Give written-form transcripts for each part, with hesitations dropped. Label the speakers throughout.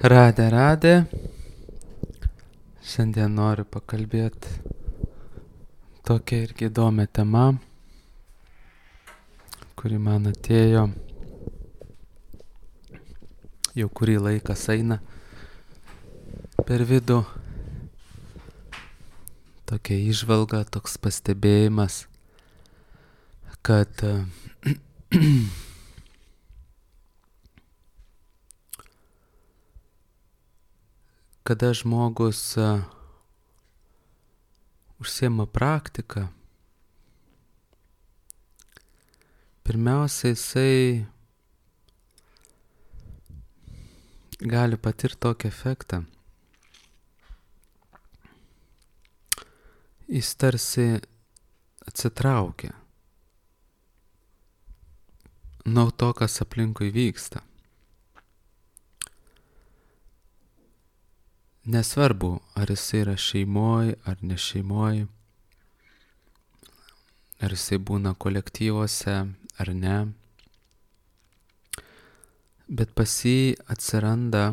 Speaker 1: Radė. Šiandien noriu pakalbėti tokia irgi įdomią temą, kuri man atėjo jau kurį laikas eina per vidų. Tokia įžvalga, toks pastebėjimas, kad kada žmogus užsiema praktiką, pirmiausia, jisai gali patirti tokį efektą. Jis tarsi atsitraukia nuo to, kas aplinkui vyksta. Nesvarbu, ar jisai yra šeimoj, ar ne šeimoj, ar jisai būna kolektyvuose, ar ne. Bet pas jį atsiranda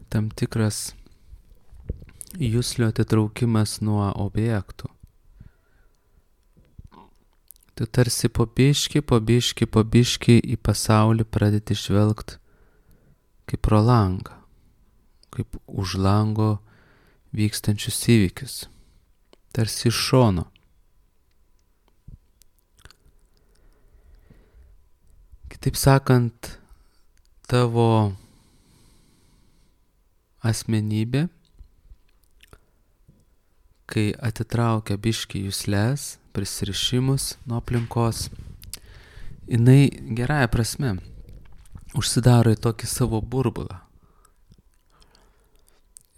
Speaker 1: tam tikras juslio atitraukimas nuo objektų. Tu tarsi po biškį į pasaulį pradedi žvelgt kaip pro langą, kaip už lango vykstančius įvykius, tarsi iš šono. Kitaip sakant, tavo asmenybė, kai atitraukia biškį jusles, prisirišimus nuo aplinkos, jinai gerąja prasme užsidaro į tokį savo burbulą.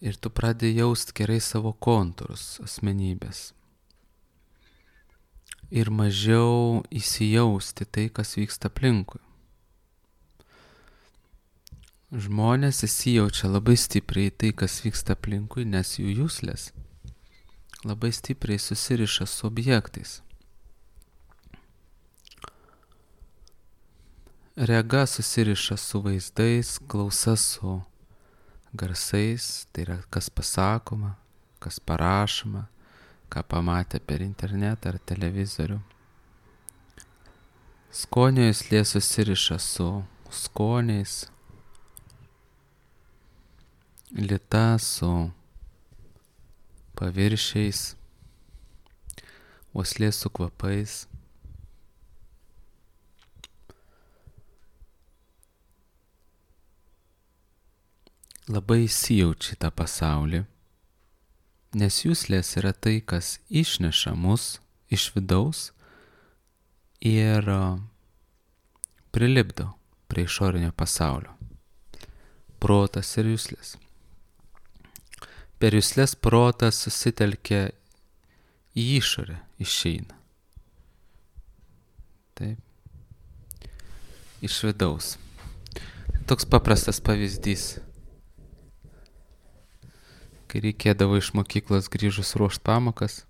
Speaker 1: Ir tu pradedi jaust gerai savo kontūrus asmenybės. Ir mažiau įsijausti tai, kas vyksta aplinkui. Žmonės įsijaučia labai stipriai tai, kas vyksta aplinkui, nes jų juslės labai stipriai susiriša su objektais. Rega susiriša su vaizdais, klausa su garsais, tai yra kas pasakoma, kas parašoma, ką pamatė per internetą ar televizorių. Skonio juslė susiriša su skoniais, lyta su paviršiais, uoslė su kvapais. Labai įsijaučia tą pasaulį, nes juslės yra tai, kas išneša mus iš vidaus ir prilipdo prie išorinio pasaulio. Protas ir juslės. Per juslės protas susitelkia į išorę, išeina. Taip. Iš vidaus. Toks paprastas pavyzdys. Kai reikėdavo iš mokyklos grįžus ruošt pamokas,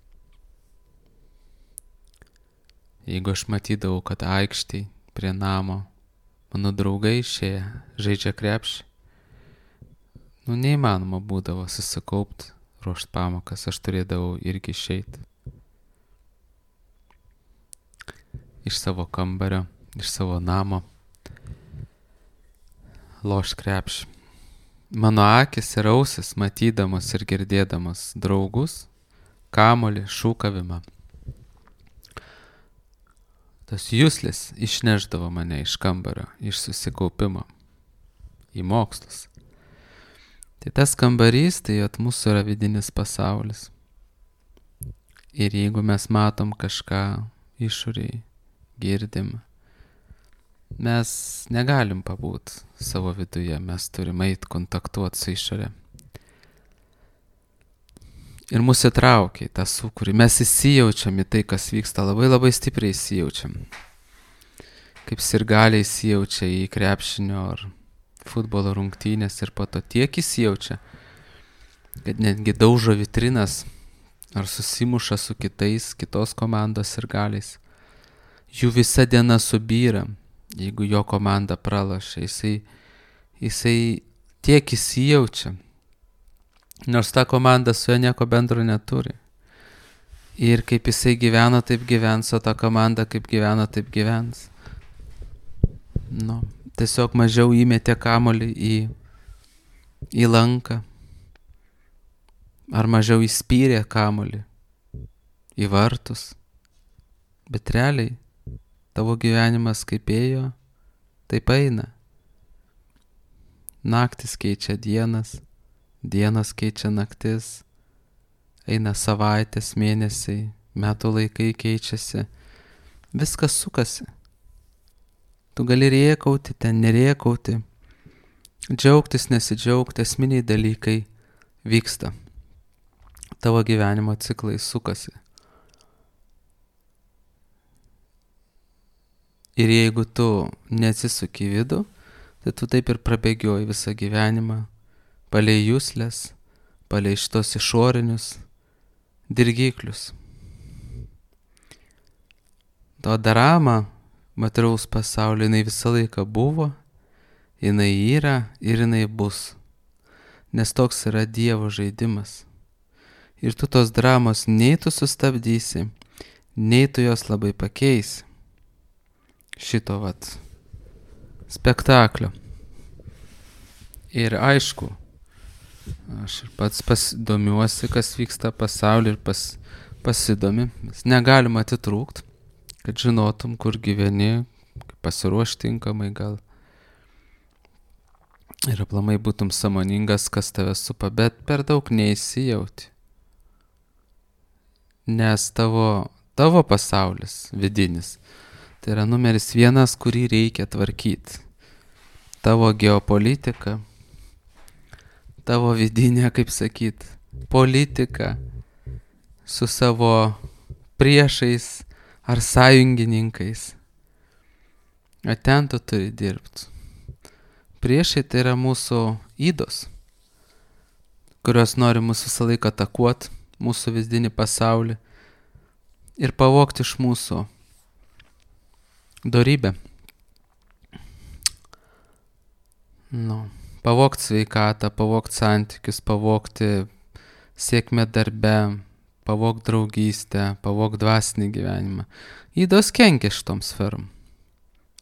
Speaker 1: jeigu aš matydavau, kad aikštėj prie namo mano draugai išėję žaidžia krepšį, neįmanoma būdavo susikaupt, ruošt pamokas, aš turėdavau irgi išeit iš savo kambario, iš savo namo, lošt krepšį. Mano akis ir ausis, matydamos ir girdėdamos draugus, kamuolį, šūkavimą. Tas juslės išneždavo mane iš kambario, iš susikaupimo į mokslus. Tai tas kambarys, tai mūsų yra vidinis pasaulis. Ir jeigu mes matom kažką išoriai, girdim, mes negalim pabūt savo viduje, mes turim eit kontaktuoti su išorė. Ir mus įtraukia į tą sūkurį, mes įsijaučiam į tai, kas vyksta, labai labai stipriai įsijaučiam. Kaip sirgaliai įsijaučia į krepšinio ar futbolo rungtynės ir po to tiek įsijaučia, kad netgi daužo vitrinas ar susimuša su kitos komandos sirgaliais. Jų visa diena subyra, jeigu jo komanda pralošia, jisai jisai tiek įsijaučia, nors ta komanda su juo nieko bendro neturi. Ir kaip jisai gyvena, taip gyvens, o ta komanda kaip gyvena, taip gyvens. Nu, tiesiog mažiau įmetė kamuolį į lanką, ar mažiau įspyrė kamuolį į vartus. Bet realiai tavo gyvenimas kaip ėjo, taip eina. Naktis keičia dienas, dienas keičia naktis, eina savaitės, mėnesiai, metų laikai keičiasi, viskas sukasi. Tu gali rėkauti, ten nerėkauti, džiaugtis, nesidžiaugti, esminiai dalykai vyksta. Tavo gyvenimo ciklai sukasi. Ir jeigu tu neatsisuki į vidų, tai tu taip ir prabėgioji visą gyvenimą, palei juslės, palei šitos išorinius dirgiklius. To drama materialaus pasaulio, jinai visą laiką buvo, jinai yra ir jinai bus. Nes toks yra Dievo žaidimas. Ir tu tos dramos nei tu sustabdysi, nei tu jos labai pakeisi. Šito spektaklio. Ir aišku, aš ir pats domiuosi, kas vyksta pasaulyje ir pasidomi. Negalima atitrūkt, kad žinotum, kur gyveni, pasiruošti tinkamai gal. Ir aplamai būtum sąmoningas, kas tave supa, bet per daug neįsijauti. Nes tavo pasaulis vidinis, tai yra numeris 1, kurį reikia tvarkyti. Tavo geopolitika, tavo vidinė, kaip sakyt, politika su savo priešais ar sąjungininkais. O ten tu turi dirbti. Priešai tai yra mūsų ydos, kurios nori mūsų visą laiką atakuoti, mūsų vidinį pasaulį ir pavogti iš mūsų dorybę. Pavogti sveikatą, pavogti santykius, pavogti sėkmę darbe, pavogti draugystę, pavogti dvasinį gyvenimą. Ydos kenkia šitom sferom.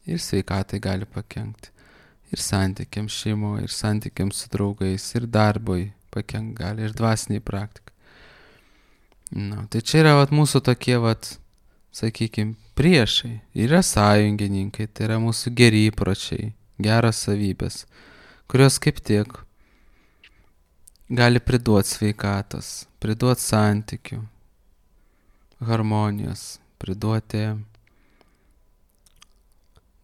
Speaker 1: Ir sveikatai gali pakenkti. Ir santykiams šeimoje, ir santykiams su draugais, ir darbui pakenkti gali, ir dvasiniai praktikai. Tai čia yra mūsų tokie, sakykime, priešai. Yra sąjungininkai, tai yra mūsų geri įpročiai, geros savybės, kurios kaip tik gali priduoti sveikatos, priduoti santykių, harmonijos, priduoti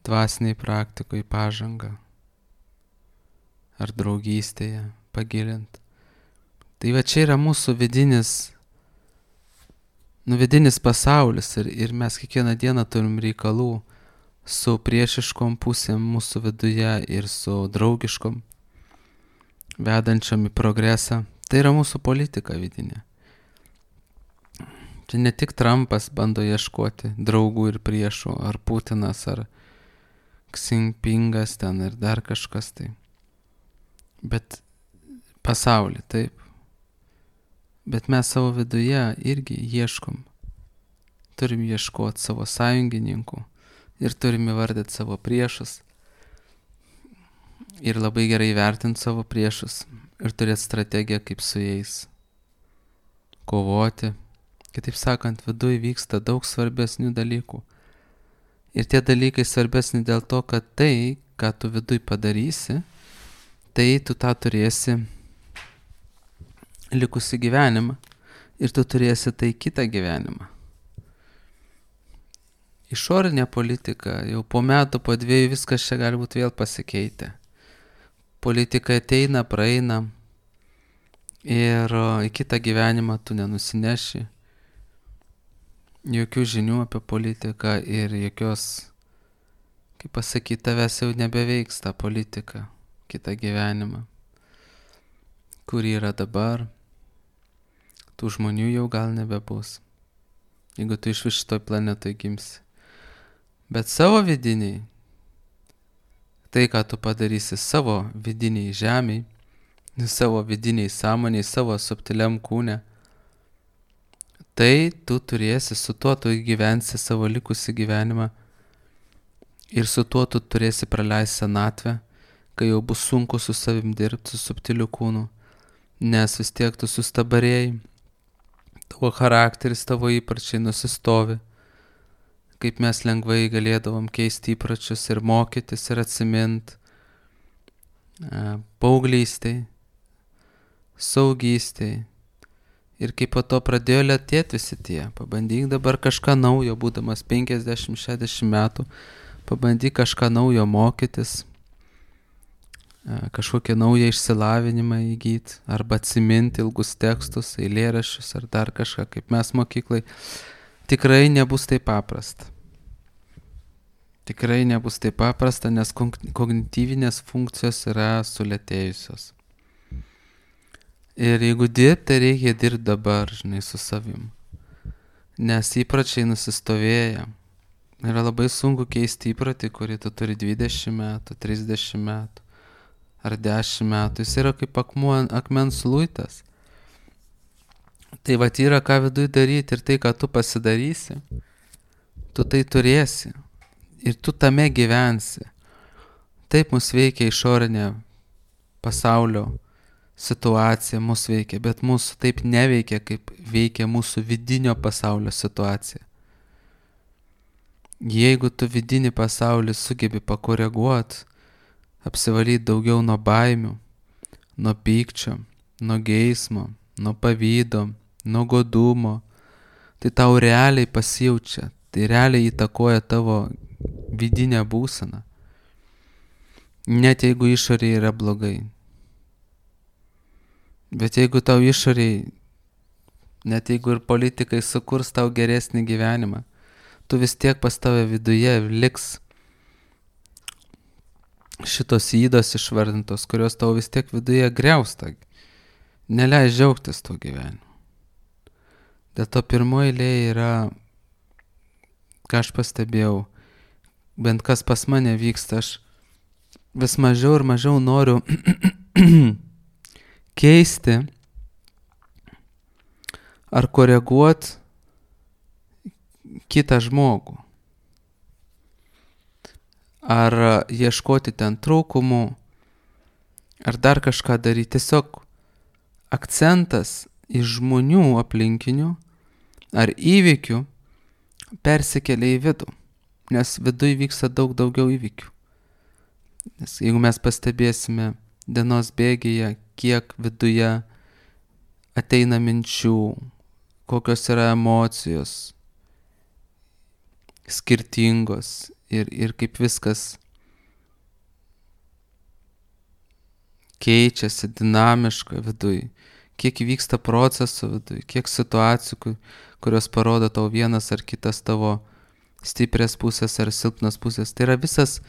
Speaker 1: dvasiniai praktikoje pažangą ar draugystėje pagilinti. Tai čia yra mūsų vidinis pasaulis ir mes kiekvieną dieną turim reikalų su priešiškom pusėm mūsų viduje ir su draugiškom, vedančiom į progresą. Tai yra mūsų politika vidinė. Čia ne tik Trumpas bando ieškoti draugų ir priešų, ar Putinas, ar Xi Jinpingas ten ir dar kažkas tai. Bet pasaulį, taip. Bet mes savo viduje irgi ieškom. Turim ieškoti savo sąjungininkų ir turim įvardyti savo priešus. Ir labai gerai vertinti savo priešus ir turėti strategiją, kaip su jais kovoti. Kitaip sakant, viduj vyksta daug svarbesnių dalykų. Ir tie dalykai svarbesni dėl to, kad tai, ką tu viduj padarysi, tai tu tą turėsi likusi gyvenimą ir tu turėsi tai kitą gyvenimą. Išorinė politika, jau po metų, po 2 viskas čia gali būti vėl pasikeitę. Politika ateina, praeina ir į kitą gyvenimą tu nenusineši jokių žinių apie politiką ir jokios, kaip pasakyti, tavęs jau nebeveiks ta politika, kitą gyvenimą, kur yra dabar. Tų žmonių jau gal nebebus, jeigu tu iš vis šitoj planetoj gimsi. Bet savo vidiniai, tai, ką tu padarysi savo vidiniai žemiai, savo vidiniai sąmoniai, savo subtiliam kūne, tai tu turėsi, su tuo tu gyvensi savo likusį gyvenimą ir su tuo tu turėsi praleisti senatvę, kai jau bus sunku su savim dirbti, su subtiliu kūnu, nes vis tiek tu sustabarėjai, tavo charakteris, tavo įpročiai nusistovi, kaip mes lengvai galėdavom keisti įpročius ir mokytis ir atsimint paauglystėj, saugystėj. Ir kaip po to pradėjo lėtėti visi tie, pabandyk dabar kažką naujo, būdamas 50-60 metų, pabandyk kažką naujo mokytis, kažkokią naują išsilavinimą įgyti, arba atsiminti ilgus tekstus, eilėraščius ar dar kažką, kaip mes mokyklai. Tikrai nebus taip paprasta. Tikrai nebus taip paprasta, nes kognityvinės funkcijos yra sulėtėjusios. Ir jeigu dirbti, tai reikia dirbti dabar, žinai, su savim. Nes įpročiai nusistovėja. Yra labai sunku keisti įprotį, kurį tu turi 20 metų, 30 metų ar 10 metų. Jis yra kaip akmens luitas. Tai vat yra ką viduj daryti ir tai, ką tu pasidarysi, tu tai turėsi. Ir tu tame gyvensi. Taip mus veikia išorinė pasaulio situacija, mus veikia, bet mūsų taip neveikia, kaip veikia mūsų vidinio pasaulio situacija. Jeigu tu vidinį pasaulį sugebi pakoreguoti, apsivalyti daugiau nuo baimių, nuo pykčio, nuo geismo, nuo pavydo, nuo godumo, tai tau realiai pasijaučia, tai realiai įtakoja tavo vidinę būseną. Net jeigu išorėje yra blogai. Bet jeigu tau išoriai, net jeigu ir politikai sukurs tau geresnį gyvenimą, tu vis tiek pas tave viduje liks šitos ydos išvardintos, kurios tau vis tiek viduje griausta, neleis džiaugtis tuo gyvenimu. Dėl to pirmoji eilėje yra, ką aš pastebėjau, bent kas pas mane vyksta, aš vis mažiau ir mažiau noriu keisti ar koreguoti kitą žmogų. Ar ieškoti ten trūkumų, ar dar kažką daryti. Tiesiog akcentas iš žmonių aplinkinių ar įvykių persikelia į vidų, nes viduj vyksta daug daugiau įvykių. Nes jeigu mes pastebėsime dienos bėgyje, kiek viduje ateina minčių, kokios yra emocijos skirtingos ir kaip viskas keičiasi dinamiška viduj, kiek vyksta procesų viduj, kiek situacijų, kurios parodo tau vienas ar kitas tavo stiprias pusės ar silpnas pusės. Tai yra visas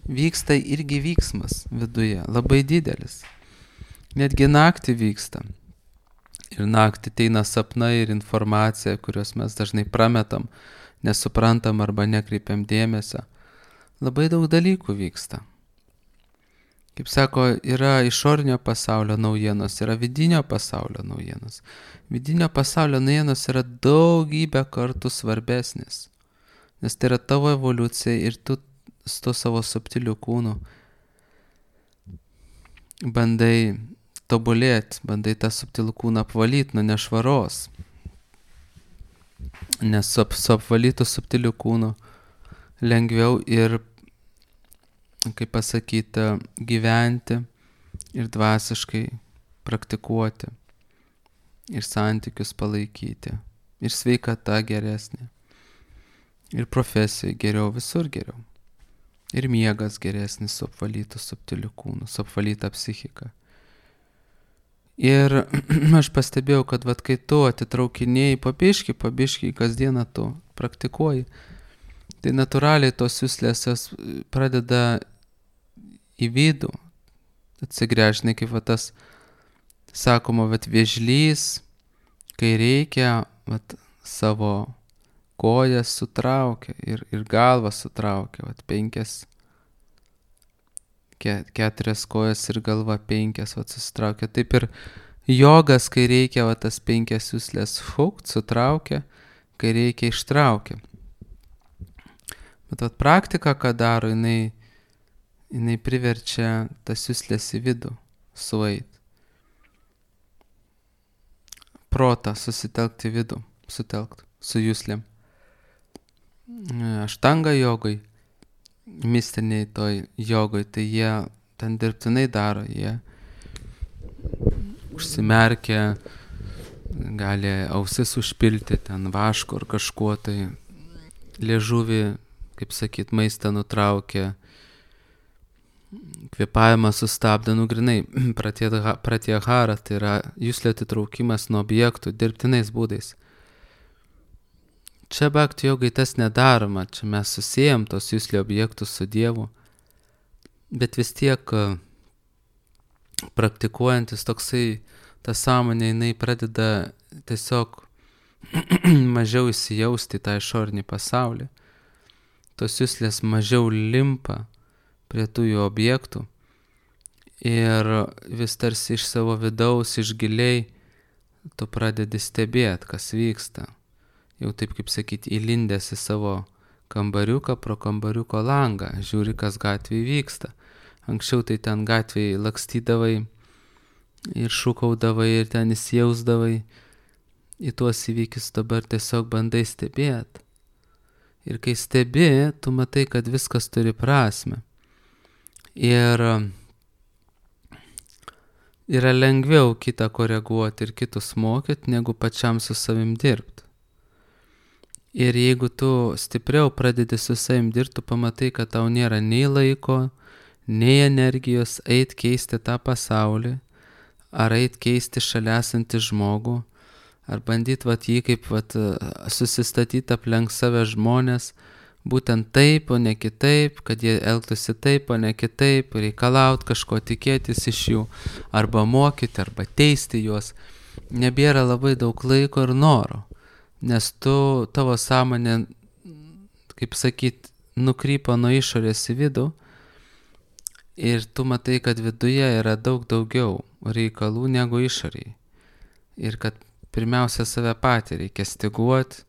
Speaker 1: vyksta irgi vyksmas viduje, labai didelis. Netgi naktį vyksta. Ir naktį ateina sapnai ir informacija, kurios mes dažnai prametam, nesuprantam arba nekreipiam dėmesio. Labai daug dalykų vyksta. Kaip sako, yra išorinio pasaulio naujienos, yra vidinio pasaulio naujienos. Vidinio pasaulio naujienos yra daugybę kartų svarbesnis. Nes tai yra tavo evoliucija ir tu su to savo subtiliu kūnu bandai tobulėti, bandai tą subtilų kūną apvalyti nuo nešvaros. Nes su apvalytų subtiliu kūnu lengviau ir, kaip pasakyti, gyventi ir dvasiškai praktikuoti ir santykius palaikyti ir sveikata geresnė ir profesija geriau, visur geriau. Ir miegas geresnis su apvalytų subtiliu kūnu, su apvalyta psichika. Ir aš pastebėjau, kad vat, kai tu atitraukinėjai pabiški, kasdieną tu praktikuoji, tai natūraliai tos juslės pradeda į vidų atsigręžti, kaip vat, tas sakoma, vat, vėžlys, kai reikia, vat, savo kojas sutraukia ir galvą sutraukia, vat, 5 4 kojas ir galva 5 susitraukia. Taip ir jogas, kai reikia tas 5 juslės sutraukia, kai reikia ištraukia. Bet praktika, ką daro, jinai priverčia tas juslės į vidų sueit. Protą susitelkti į vidų, sutelkt su juslėm. Aštanga jogai, mistiniai toj jogoj, tai jie ten dirbtinai daro, jie užsimerkia, gali ausis užpilti ten vašku ar kažkuo, tai liežuvį, kaip sakyt, maistą nutraukia, kvėpavimą sustabdo, grinai, pratyahara, tai yra juslio atitraukimas nuo objektų dirbtinais būdais. Čia bhakti jogai tas nedaroma, čia mes susijam tos juslio objektus su Dievu, bet vis tiek praktikuojantis toksai, ta sąmonė, jinai pradeda tiesiog mažiau įsijausti į tą išorinį pasaulį. Tos juslės mažiau limpa prie tų jų objektų ir vis tarsi iš savo vidaus, iš giliai tu pradedi stebėti, kas vyksta. Jau taip, kaip sakyti, įlindęs į savo kambariuką, pro kambariuko langą, žiūri, kas gatvėje vyksta. Anksčiau tai ten gatvėje lakstydavai ir šūkaudavai ir ten įsijausdavai į tuos įvykius, dabar tiesiog bandai stebėti. Ir kai stebi, tu matai, kad viskas turi prasmę. Ir yra lengviau kitą koreguoti ir kitus mokyti, negu pačiam su savim dirbti. Ir jeigu tu stipriau pradedi su savim dirbti, tu pamatai, kad tau nėra nei laiko, nei energijos eit keisti tą pasaulį, ar eit keisti šalia esantį žmogų, ar bandyti jį kaip susistatyti aplink save žmonės, būtent taip, o ne kitaip, kad jie elgtųsi taip, o ne kitaip, reikalaut kažko, tikėtis iš jų, arba mokyti, arba teisti juos. Nebėra labai daug laiko ir noro, nes tavo sąmonė, kaip sakyt, nukrypo nuo išorės į vidų ir tu matai, kad viduje yra daug daugiau reikalų negu išorėje. Ir kad pirmiausia save patį reikia styguoti,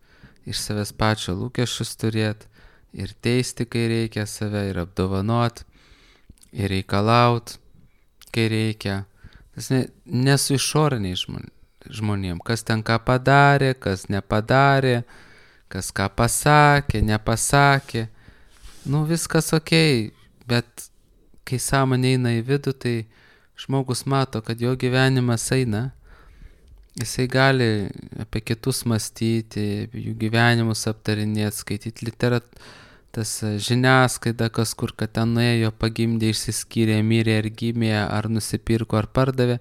Speaker 1: iš savęs pačio lūkesčius turėti, ir teisti, kai reikia save, ir apdovanot, ir reikalaut, kai reikia. Tas ne su išoriniai žmonėm, kas ten ką padarė, kas nepadarė, kas ką pasakė, nepasakė. Viskas okei, bet kai sąmonė eina į vidų, tai žmogus mato, kad jo gyvenimas eina. Jisai gali apie kitus mąstyti, jų gyvenimus aptarinėti, skaityti tas žiniasklaida, kas kur, kad ten nuėjo, pagimdė, išsiskyrė, mirė ar gimė, ar nusipirko, ar pardavė,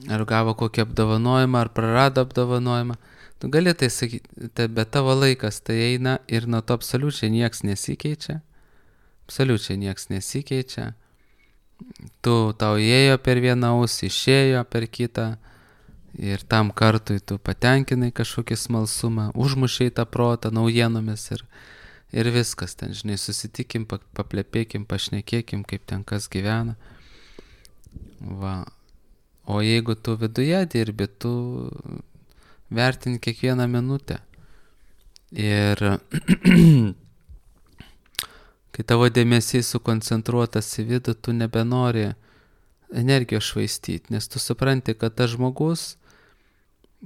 Speaker 1: ar gavo kokį apdovanojimą, ar prarado apdovanojimą. Tu gali tai sakyti, bet tavo laikas tai eina ir nuo to absoliučiai nieks nesikeičia. Absoliučiai nieks nesikeičia. Tau įėjo per vieną ausį, išėjo per kitą. Ir tam kartui tu patenkinai kažkokį smalsumą, užmušiai tą protą naujienomis ir viskas ten, žinai, susitikim, paplepėkim, pašnekėkim, kaip ten kas gyvena. O jeigu tu viduje dirbi, tu vertini kiekvieną minutę. Ir kai tavo dėmesys sukoncentruotas į vidų, tu nebenori energijos švaistyti, nes tu supranti, kad tas žmogus,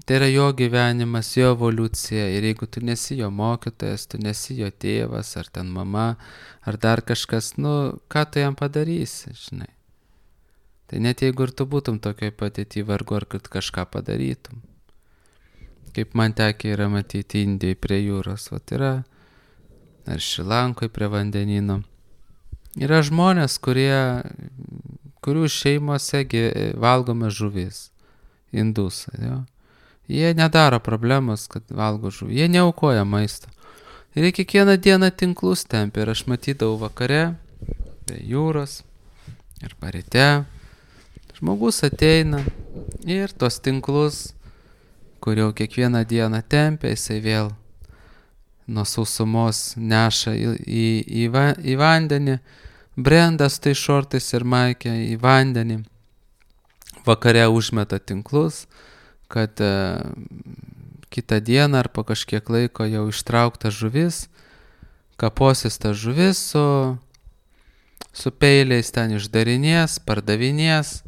Speaker 1: tai yra jo gyvenimas, jo evoliucija, ir jeigu tu nesi jo mokytojas, tu nesi jo tėvas, ar ten mama, ar dar kažkas, ką tu jam padarysi, žinai. Tai net jeigu ir tu būtum tokioj padėty, vargu ar kad kažką padarytum. Kaip man tekia yra matyti Indijai prie jūros, yra, ar Šrilankoj prie vandenyno. Yra žmonės, kurių šeimose valgome žuvis, indusai, jo. Jie nedaro problemos, kad valgo žuvį, jie neaukoja maisto. Ir jie kiekvieną dieną tinklus tempia, ir aš matydavau vakare, prie jūros, ir ryte. Žmogus ateina ir tos tinklus, kur jau kiekvieną dieną tempia, jisai vėl nuo sausumos neša į vandenį, brenda su tai šortais ir maikė į vandenį, vakare užmeta tinklus, kad kitą dieną ar po kažkiek laiko jau ištraukta žuvis, kaposis ta žuvis su peiliais ten išdarinės, pardavinės,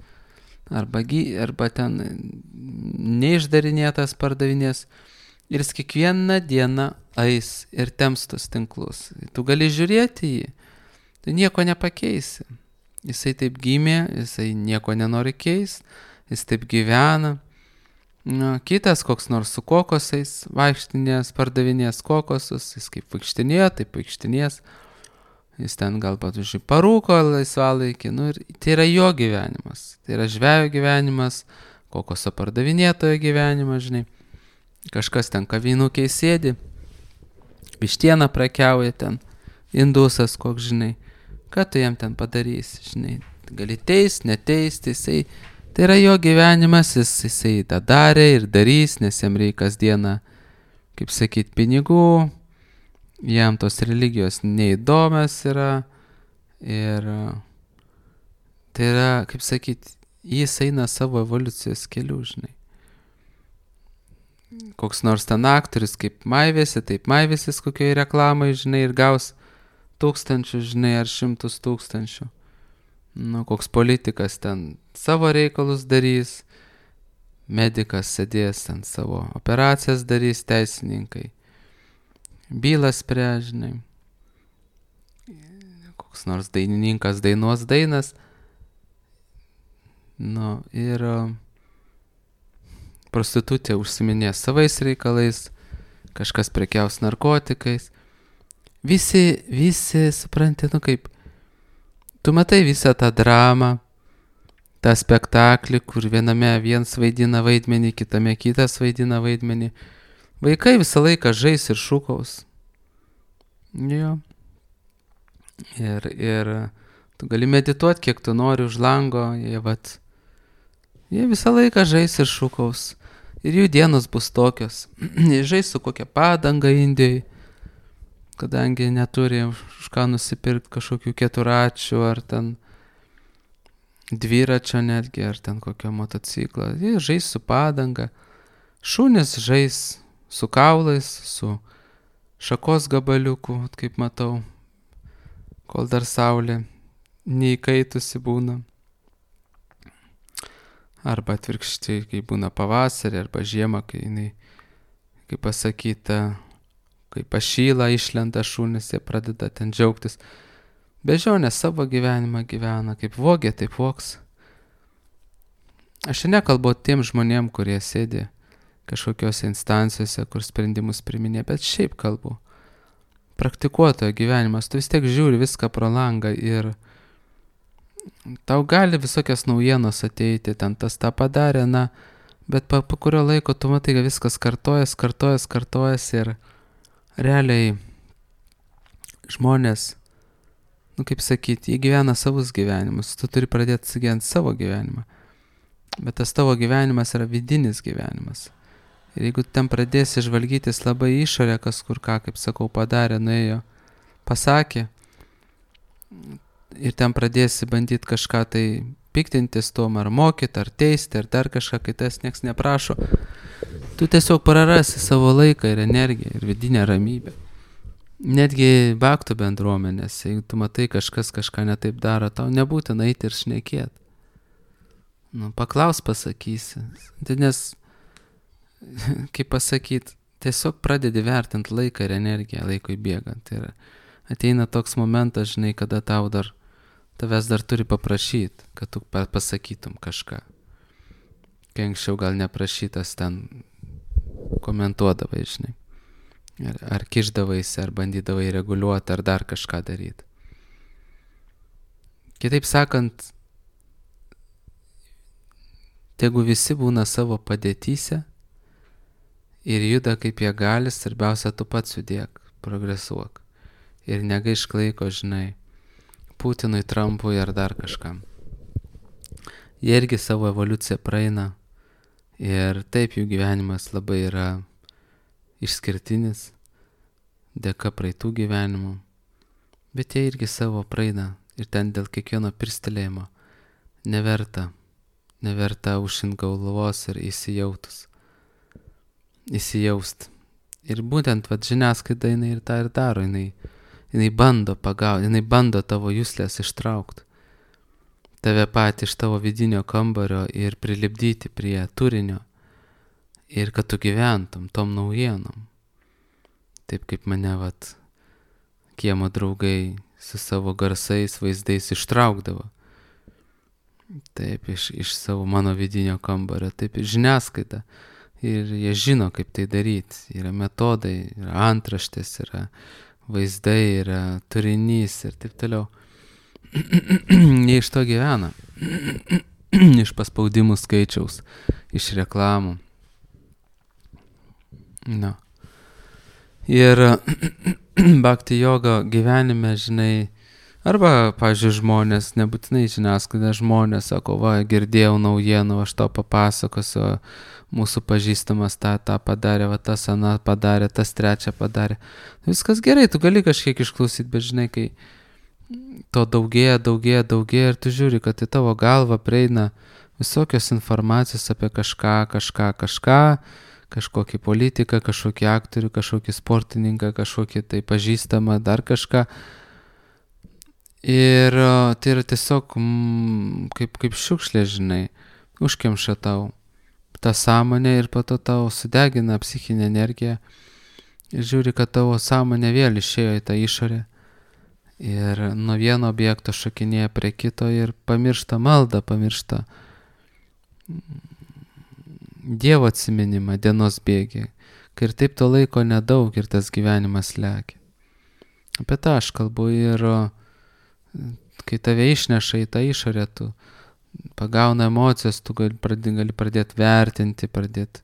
Speaker 1: arba ten neišdarinėtas pardavinės. Ir jis kiekvieną dieną eis ir temps tus tinklus. Tu gali žiūrėti jį, tu nieko nepakeisi. Jisai taip gimė, jisai nieko nenori keis, jis taip gyvena. Kitas koks nors su kokosais vaikštinės, pardavinės kokosus, jis kaip vaikštinėjo, taip vaikštinės. Jis ten gal pavyzdžiui parūko laisvalaikį, ir tai yra jo gyvenimas. Tai yra žvejo gyvenimas, kokoso pardavinėtojo gyvenimas, žinai. Kažkas ten kavinukėj sėdi, vištieną prekiauja ten, indusas koks, žinai. Ką tu jam ten padarysi, žinai. Gali teist, neteist, jisai. Tai yra jo gyvenimas, jisai tą darė ir darys, nes jam reikia kasdieną, kaip sakyt, pinigų. Jam tos religijos neįdomios yra. Ir tai yra, kaip sakyt, jis eina savo evoliucijos keliu, žinai. Koks nors ten aktorius kaip maivėsi, taip maivėsis kokioj reklamai, žinai, ir gaus 1000, žinai, ar 100 000. Koks politikas ten savo reikalus darys, medikas sėdės ten savo operacijas darys, teisininkai bylas spręs, žinai. Koks nors dainininkas dainuos dainas. Ir prostitutė užsiminės savais reikalais, kažkas prekiaus narkotikais. Visi supranti, kaip, tu matai visą tą dramą, tą spektaklį, kur viename viens vaidina vaidmenį, kitame kitas vaidina vaidmenį. Vaikai visą laiką žais ir šūkaus. Jo. Ir tu gali medituoti, kiek tu nori už lango, jie visą laiką žais ir šūkaus. Ir jų dienos bus tokios. Jie žais su kokia padanga Indijai, kadangi neturi už ką nusipirkti kažkokių keturračių ar ten dviračio netgi, ar ten kokio motociklo. Jie žais su padanga. Šunys žais su kaulais, su šakos gabaliuku, kaip matau, kol dar saulė neįkaitusi būna. Arba atvirkščiai, kai būna pavasarį, arba žiemą, kai jinai, kaip pasakyta, kai pašyla, išlenda šunys, jie pradeda ten džiaugtis. Bežionė savo gyvenimą gyvena, kaip vogė, taip vogs. Aš nekalbu tiem žmonėm, kurie sėdi kažkokiose instancijose, kur sprendimus priminė, bet šiaip kalbu. Praktikuotojo gyvenimas, tu vis tiek žiūri viską pro langą ir tau gali visokias naujienos ateiti, ten tas tą padarė, bet po kurio laiko tu matai, kad viskas kartojas ir realiai žmonės, kaip sakyti, jie gyvena savus gyvenimus, tu turi pradėti gyventi savo gyvenimą. Bet tas tavo gyvenimas yra vidinis gyvenimas. Ir jeigu ten pradėsi žvalgytis labai išorę, kas kur ką, kaip sakau, padarė, nuėjo, pasakė, ir ten pradėsi bandyti kažką tai piktintis tom, ar mokyti, ar teisti, ar dar kažką, kai tas nieks neprašo, tu tiesiog prarasi savo laiką ir energiją ir vidinę ramybę. Netgi baktų bendruomenės, jeigu tu matai kažkas kažką netaip daro, tau nebūtina eiti ir šnekėti. Paklaus pasakysi. Nes, kaip pasakyti, tiesiog pradedi vertinti laiką ir energiją laikui bėgant. Ir ateina toks momentas, žinai, kada tavęs dar turi paprašyti, kad tu pasakytum kažką. Kai anksčiau gal neprašytas ten komentuodavai, žinai. Ar kišdavaisi, ar bandydavai reguliuoti, ar dar kažką daryti. Kitaip sakant, tegu visi būna savo padėtyse ir juda kaip jie gali, svarbiausia tu pats judėk, progresuok. Ir negaišk laiko, žinai, Putinui, Trumpui ar dar kažkam. Jie irgi savo evoliuciją praeina ir taip jų gyvenimas labai yra išskirtinis, dėka praeitų gyvenimų, bet jie irgi savo praeina Ir ten dėl kiekvieno pirstelėjimo neverta užšint galvos ir įsijaust. Ir būtent žiniasklaida jinai ir tą ir daro, jinai bando pagauti, jinai bando tavo juslės ištraukti, tave patį iš tavo vidinio kambario ir prilipdyti prie turinio ir kad tu gyventum tom naujienom. Taip kaip mane kiemo draugai su savo garsais, vaizdais ištraukdavo. Taip, iš savo mano vidinio kambario, taip ir žiniasklaida. Ir jie žino, kaip tai daryti. Yra metodai, yra antraštės, yra vaizdai, yra turinys ir taip toliau. Jie iš to gyvena. Iš paspaudimų skaičiaus, iš reklamų. Na. Ir bhakti joga gyvenime, žinai, arba, pavyzdžiui, žmonės, nebūtinai žiniasklaida, žmonės sako, girdėjau naujienų, aš to papasakosiu, mūsų pažįstamas tą padarė, tas aną padarė, tas trečią padarė. Viskas gerai, tu gali kažkiek išklausyti, bet žinai, kai to daugėja ir tu žiūri, kad į tavo galvą prieina visokios informacijos apie kažkokį politiką, kažkokį aktorių, kažkokį sportininką, kažkokį tai pažįstamą, dar kažką. Ir tai yra tiesiog kaip šiukšlė, žinai, užkemša tau tą sąmonę ir po to tau sudegina psichinę energiją ir žiūri, kad tavo sąmonė vėl išėjo į tą išorę ir nuo vieno objekto šokinėja prie kito ir pamiršta maldą, pamiršta Dievo atsiminimą dienos bėgyje, kai ir taip to laiko nedaug ir tas gyvenimas lekia. Apie tą aš kalbu ir kai tave išneša į tą išorę, tu pagauna emocijas, tu gali pradėti vertinti, pradėti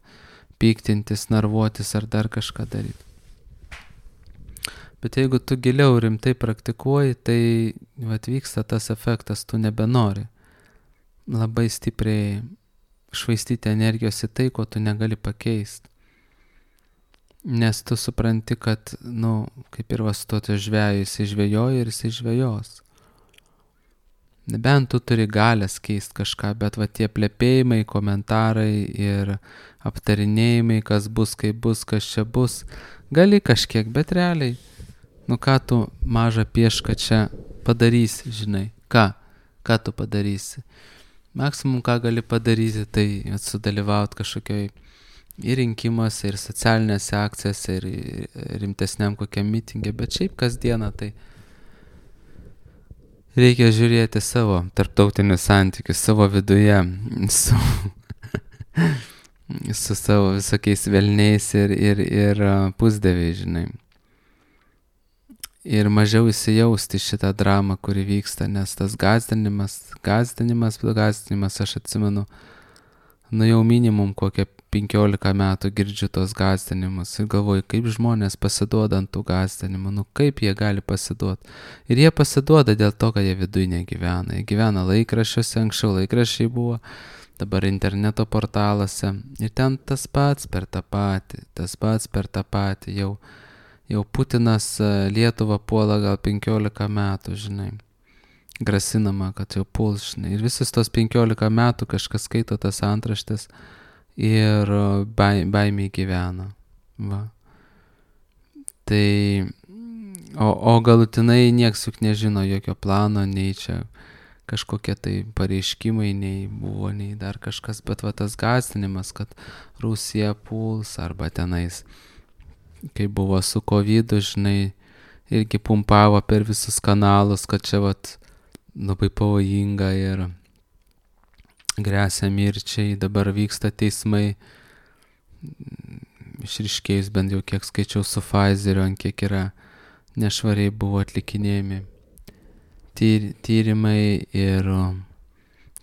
Speaker 1: piktintis, narvuotis ar dar kažką daryti. Bet jeigu tu giliau rimtai praktikuoji, tai vyksta tas efektas, tu nebenori labai stipriai švaistyti energijos į tai, ko tu negali pakeisti. Nes tu supranti, kad, kaip ir vastuoto žvejų, jisai žvejoja ir jisai žvejos. Nebent tu turi galės keisti kažką, bet tie plepėjimai, komentarai ir aptarinėjimai, kas bus, kaip bus, kas čia bus, gali kažkiek, bet realiai, ką tu mažą piešką čia padarysi, žinai, ką tu padarysi. Maksimum, ką gali padaryti, tai sudalyvauti kažkokioj ir rinkimuose, ir socialinėse akcijose, ir rimtesniam kokiam mitingė, bet šiaip kasdieną tai reikia žiūrėti savo tarptautinius santykius, savo viduje, su savo visokiais velniais ir pusdieviais, žinai. Ir mažiau įsijausti šitą dramą, kuri vyksta, nes tas gąsdinimas, aš atsimenu, jau minimum kokią 15 metų girdžiu tos gąsdinimus ir galvoju, kaip žmonės pasiduoda ant tų gąsdinimų, kaip jie gali pasiduoti. Ir jie pasiduoda dėl to, kad jie viduje negyvena. Jie gyvena laikraščiuose, anksčiau laikraščiai buvo, dabar interneto portaluose. Ir ten tas pats per tą patį. Jau Putinas Lietuvą puola gal 15 metų, žinai. Grasinama, kad jau puls, žinai. Ir visus tos 15 metų kažkas skaito tas antraštės ir baimiai gyvena. Va. Tai, o galutinai nieks juk nežino jokio plano, nei čia kažkokie tai pareiškimai, nei buvo, nei dar kažkas, bet tas gąsdinimas, kad Rusija puls arba tenais, kai buvo su COVID, žinai, irgi pumpavo per visus kanalus, kad čia labai pavojinga ir gresia mirčiai, dabar vyksta teismai, išriškėjus bent jau kiek skaičiau su Pfizeriu, ant kiek yra nešvariai buvo atlikinėjami tyrimai ir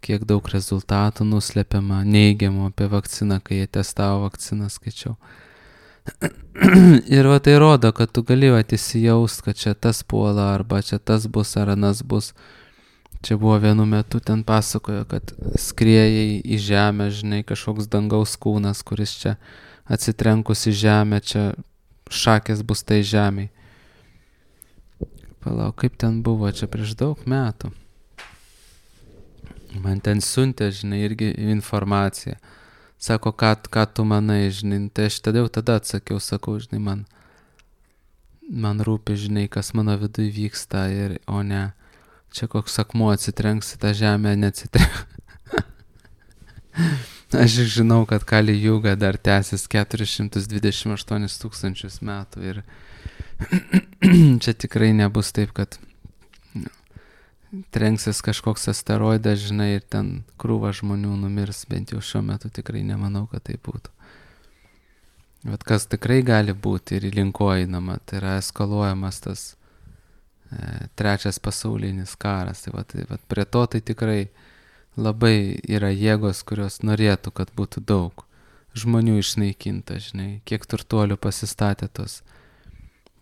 Speaker 1: kiek daug rezultatų nuslepiama, neigiamų apie vakciną, kai jie testavo vakciną, skaičiau. Ir tai rodo, kad tu gali įsijaust, kad čia tas puola, arba čia tas bus, ar anas bus. Čia buvo vienu metu, ten pasakojo, kad skrieja į žemę, žinai, kažkoks dangaus kūnas, kuris čia atsitrenkus į žemę, čia šakės bus tai žemei. Palauk, kaip ten buvo, čia prieš daug metų. Man ten siuntė, žinai, irgi informaciją. Sako, ką tu manai, žinai, tai aš tada atsakiau, sakau, žinai, man rūpi, žinai, kas mano viduje vyksta, o ne, čia koks akmuo atsitrenks į tą žemę, neatsitrenks. Aš žinau, kad Kali Juga dar tęsis 428 tūkstančius metų ir čia tikrai nebus taip, kad trenksis kažkoks asteroidas, žinai, ir ten krūva žmonių numirs, bent jau šiuo metu tikrai nemanau, kad tai būtų. Bet kas tikrai gali būti ir linko einama, tai yra eskaluojamas tas trečias pasaulinis karas. Tai va, prie to tai tikrai labai yra jėgos, kurios norėtų, kad būtų daug žmonių išnaikinta, žinai, kiek turtuolių pasistatė tos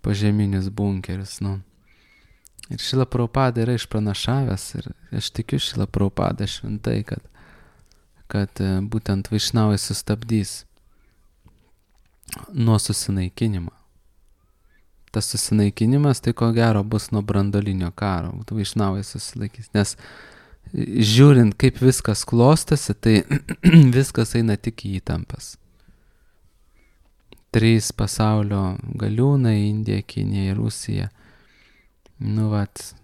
Speaker 1: požeminius bunkerius, nu. Ir Šrila Prabhupada yra išpranašavęs ir aš tikiu Šrila Prabhupada šventai, kad būtent vaišnavai sustabdys nuo susinaikinimo. Tas susinaikinimas tai ko gero bus nuo branduolinio karo, vaišnavai susilaikys, nes žiūrint, kaip viskas klostosi, tai viskas eina tik į įtampas. 3 pasaulio galiūnai - Indija, Kinija ir Rusija. Nu, vat,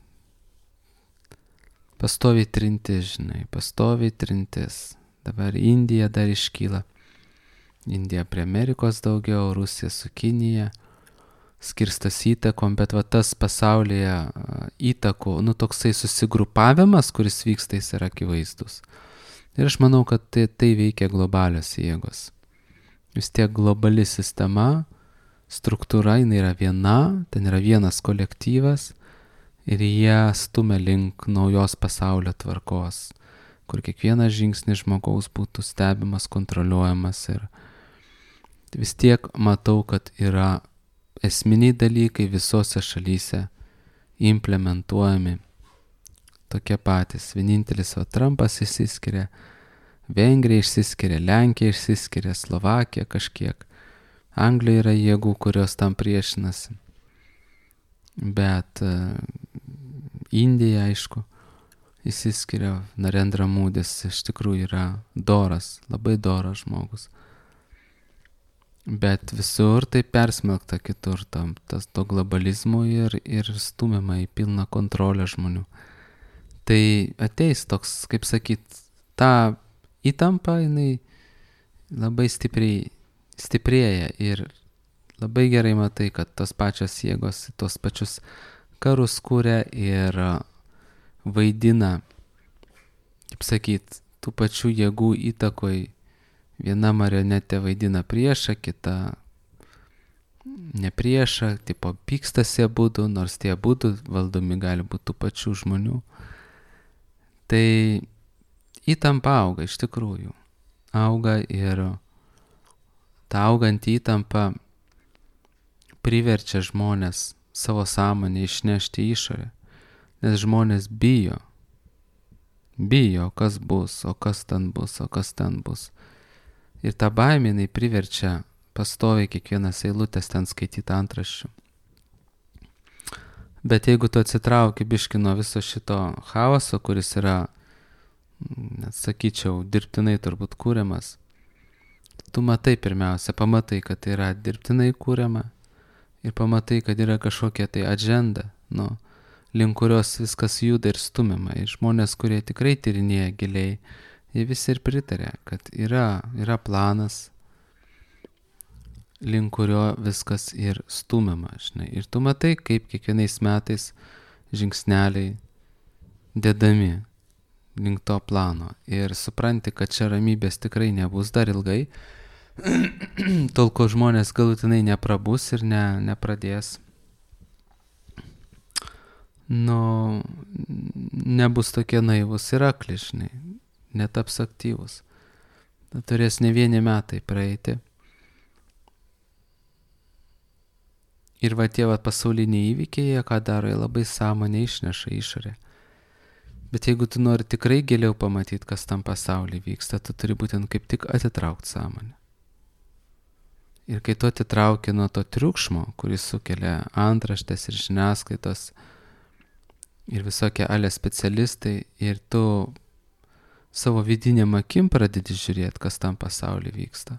Speaker 1: pastoviai trintis, žinai, pastoviai trintis. Dabar Indija dar iškyla. Indija prie Amerikos daugiau, Rusija su Kinija. Skirstas įtakom, bet va tas pasaulyje įtakų, nu, toksai susigrupavimas, kuris vyksta, jis yra akivaizdus. Ir aš manau, kad tai veikia globalios jėgos. Vis tiek globali sistema, struktūra, jinai yra viena, ten yra vienas kolektyvas ir jie stumia link naujos pasaulio tvarkos, kur kiekvienas žingsnis žmogaus būtų stebimas, kontroliuojamas ir vis tiek matau, kad yra esminiai dalykai visose šalyse implementuojami tokie patys. Vienintelis Trumpas išsiskiria, Vengrija išsiskiria, Lenkija išsiskiria, Slovakija kažkiek. Anglija yra jėgų, kurios tam priešinasi. Bet Indija, aišku, išsiskiria. Narendra Modis iš tikrųjų yra doras, labai doras žmogus. Bet visur tai persmelkta kitur to globalizmo ir stumiama į pilną kontrolę žmonių. Tai ateis toks, kaip sakyt, ta įtampa, jinai labai stiprėja ir labai gerai matai, kad tos pačios jėgos, tos pačius karus kūrė ir vaidina, kaip sakyt, tų pačių jėgų įtakoj. Viena marionetė vaidina priešą, kita ne priešą, tipo pykstasi abudu, nors tie abudu valdomi gali būti tų pačių žmonių. Tai įtampa auga iš tikrųjų. Auga ir ta auganti įtampa priverčia žmonės savo sąmonę išnešti į išorę, nes žmonės bijo, kas bus, o kas ten bus, o kas ten bus. Ir ta baimė, jinai priverčia pastoviai kiekvienas eilutės ten skaityti antraščių. Bet jeigu tu atsitrauki biški nuo viso šito chaoso, kuris yra, net sakyčiau, dirbtinai turbūt kūriamas, tu matai pirmiausia, pamatai, kad tai yra dirbtinai kūriama ir pamatai, kad yra kažkokia tai agenda, link kurios viskas juda ir stumiama. Ir žmonės, kurie tikrai tyrinėja giliai, jie visi ir pritarė, kad yra planas, link kurio viskas ir stumiama, žinai. Ir tu matai, kaip kiekvienais metais žingsneliai dedami link to plano. Ir supranti, kad čia ramybės tikrai nebus dar ilgai, tol kol žmonės galutinai neprabus ir nepradės, nebus tokie naivus ir akli, žinai. Netaps aktyvus. Turės ne vieni metai praeiti. Ir tie pasauliniai įvykiai, jie ką daro, jie labai sąmonę išneša išorę. Bet jeigu tu nori tikrai giliau pamatyti, kas tam pasaulyje vyksta, tu turi būtent kaip tik atitraukti sąmonę. Ir kai tu atitrauki nuo to triukšmo, kuris sukelia antraštės ir žiniasklaidos ir visokie ale specialistai, ir tu savo vidinėm akim pradedi žiūrėti, kas tam pasaulyje vyksta.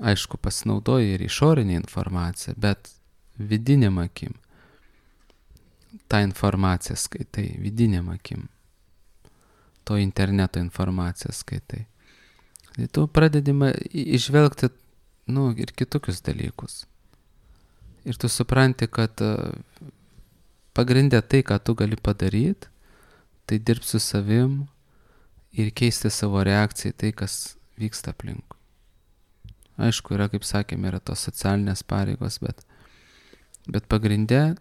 Speaker 1: Aišku, pasinaudoji ir išorinė informacija, bet vidinėm akim. Ta informacija skaitai, vidinėm akim. To interneto informaciją skaitai. Tai tu pradedi išvelgti, ir kitokius dalykus. Ir tu supranti, kad pagrindė tai, ką tu gali padaryti, tai dirbti su savim ir keisti savo reakciją į tai, kas vyksta aplinkui. Aišku, yra, kaip sakėme, yra tos socialinės pareigos, bet pagrindė